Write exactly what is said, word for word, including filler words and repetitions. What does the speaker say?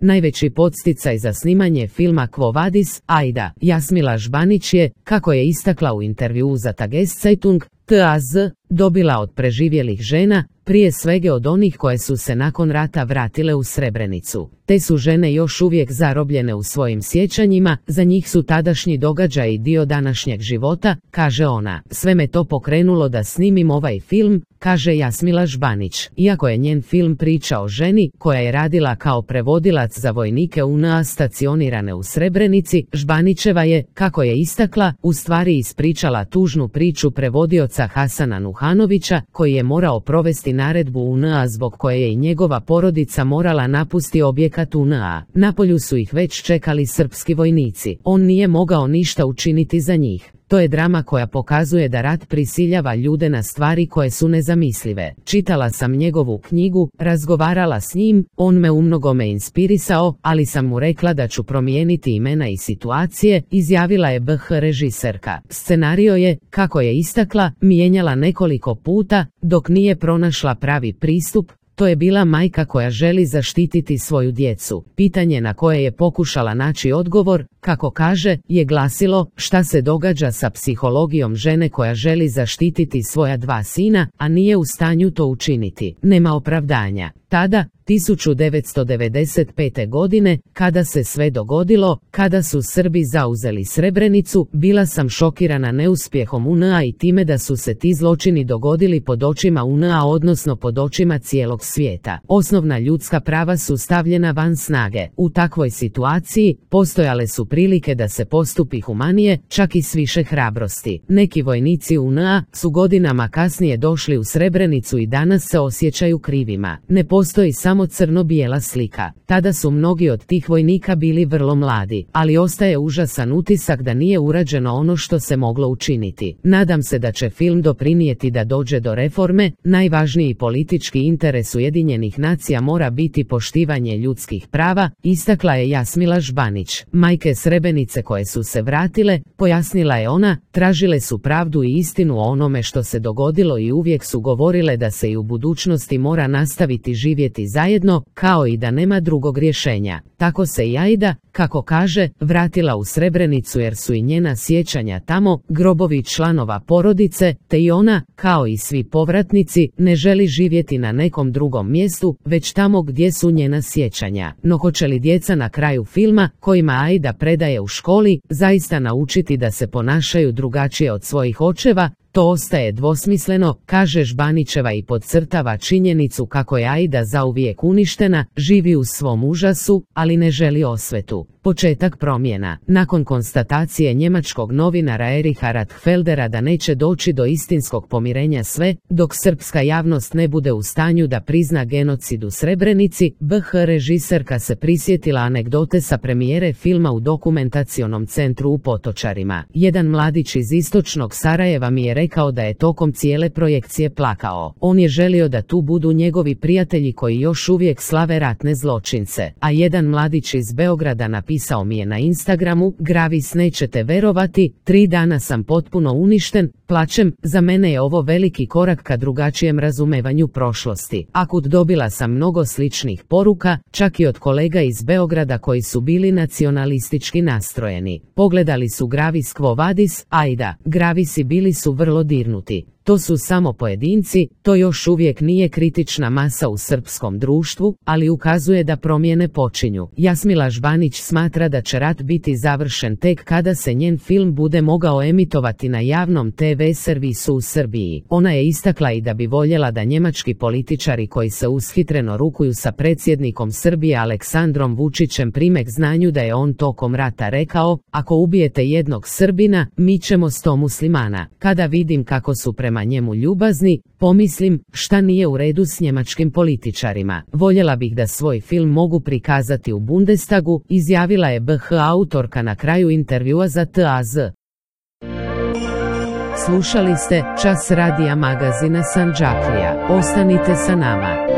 Najveći podsticaj za snimanje filma Quo Vadis, Aida Jasmila Žbanić je, kako je istakla u intervjuu za Tageszeitung, T A Z, dobila od preživjelih žena, prije svega od onih koje su se nakon rata vratile u Srebrenicu. Te su žene još uvijek zarobljene u svojim sjećanjima, za njih su tadašnji događaji dio današnjeg života, kaže ona. Sve me to pokrenulo da snimim ovaj film, kaže Jasmila Žbanić. Iako je njen film priča o ženi koja je radila kao prevodilac za vojnike U N A stacionirane u Srebrenici, Žbanićeva je, kako je istakla, u stvari ispričala tužnu priču prevodioca Hasana Nuhanovića, koji je morao provesti naredbu U N A zbog koje je i njegova porodica morala napustiti objekat U N A. Na polju su ih već čekali srpski vojnici. On nije mogao ništa učiniti za njih. To je drama koja pokazuje da rat prisiljava ljude na stvari koje su nezamislive. Čitala sam njegovu knjigu, razgovarala s njim, on me umnogome inspirisao, ali sam mu rekla da ću promijeniti imena i situacije, izjavila je B H režiserka. Scenario je, kako je istakla, mijenjala nekoliko puta, dok nije pronašla pravi pristup. To je bila majka koja želi zaštititi svoju djecu. Pitanje na koje je pokušala naći odgovor, kako kaže, je glasilo: šta se događa sa psihologijom žene koja želi zaštititi svoja dva sina, a nije u stanju to učiniti. Nema opravdanja. Tada, tisuću devetsto devedeset pete. godine, kada se sve dogodilo, kada su Srbi zauzeli Srebrenicu, bila sam šokirana neuspjehom U N A i time da su se ti zločini dogodili pod očima U N A, odnosno pod očima cijelog svijeta. Osnovna ljudska prava su stavljena van snage. U takvoj situaciji postojale su prilike da se postupi humanije, čak i s više hrabrosti. Neki vojnici U N A su godinama kasnije došli u Srebrenicu i danas se osjećaju krivima. Ne postoji samo crno-bijela slika. Tada su mnogi od tih vojnika bili vrlo mladi, ali ostaje užasan utisak da nije urađeno ono što se moglo učiniti. Nadam se da će film doprinijeti da dođe do reforme. Najvažniji politički interes Ujedinjenih nacija mora biti poštivanje ljudskih prava, istakla je Jasmila Žbanić. Majke Srebrenice koje su se vratile, pojasnila je ona, tražile su pravdu i istinu o onome što se dogodilo i uvijek su govorile da se i u budućnosti mora nastaviti živjeti zajedno, kao i da nema drugog rješenja. Tako se i Aida, kako kaže, vratila u Srebrenicu jer su i njena sjećanja tamo, grobovi članova porodice, te i ona, kao i svi povratnici, ne želi živjeti na nekom drugom mjestu, već tamo gdje su njena sjećanja. No hoće li djeca na kraju filma, kojima Aida predaje u školi, zaista naučiti da se ponašaju drugačije od svojih očeva? To ostaje dvosmisleno, kaže Žbanićeva i podcrtava činjenicu kako je Aida zauvijek uništena, živi u svom užasu, ali ne želi osvetu. Početak promjena. Nakon konstatacije njemačkog novinara Ericha Ratfeldera da neće doći do istinskog pomirenja sve, dok srpska javnost ne bude u stanju da prizna genocid u Srebrenici, B H režiserka se prisjetila anegdote sa premijere filma u dokumentacionom centru u Potočarima. Jedan mladić iz istočnog Sarajeva mi je rekao da je tokom cijele projekcije plakao. On je želio da tu budu njegovi prijatelji koji još uvijek slave ratne zločince. A jedan mladić iz Beograda napisao Pisao mi je na Instagramu: Gravis, nećete verovati, tri dana sam potpuno uništen, plačem, za mene je ovo veliki korak ka drugačijem razumevanju prošlosti. Akut dobila sam mnogo sličnih poruka, čak i od kolega iz Beograda koji su bili nacionalistički nastrojeni. Pogledali su Gravis Quo Vadis, Aida, Gravisi bili su vrlo dirnuti. To su samo pojedinci, to još uvijek nije kritična masa u srpskom društvu, ali ukazuje da promjene počinju. Jasmila Žbanić smatra da će rat biti završen tek kada se njen film bude mogao emitovati na javnom te ve servisu u Srbiji. Ona je istakla i da bi voljela da njemački političari koji se ushitreno rukuju sa predsjednikom Srbije Aleksandrom Vučićem prime k znanju da je on tokom rata rekao: ako ubijete jednog Srbina, mi ćemo sto muslimana. Kada vidim kako su prema njemu ljubazni, pomislim, šta nije u redu s njemačkim političarima. Voljela bih da svoj film mogu prikazati u Bundestagu, izjavila je B H autorka na kraju intervjua za T A Z. Slušali ste Čas radija magazina Sandžaklija. Ostanite sa nama.